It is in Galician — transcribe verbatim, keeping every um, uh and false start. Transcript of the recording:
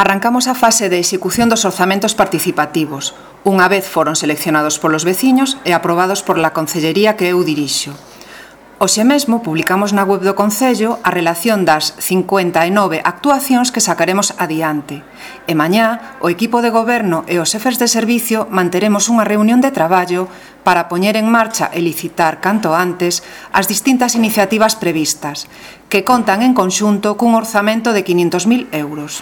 Arrancamos a fase de execución dos orzamentos participativos. Unha vez foron seleccionados polos veciños e aprobados por la Concellería que eu dirixo. Hoxe mesmo publicamos na web do Concello a relación das cincuenta e nove actuacións que sacaremos adiante. E mañá, o equipo de goberno e os xefes de servicio manteremos unha reunión de traballo para poñer en marcha e licitar canto antes as distintas iniciativas previstas, que contan en conxunto cun orzamento de quinhentos mil euros.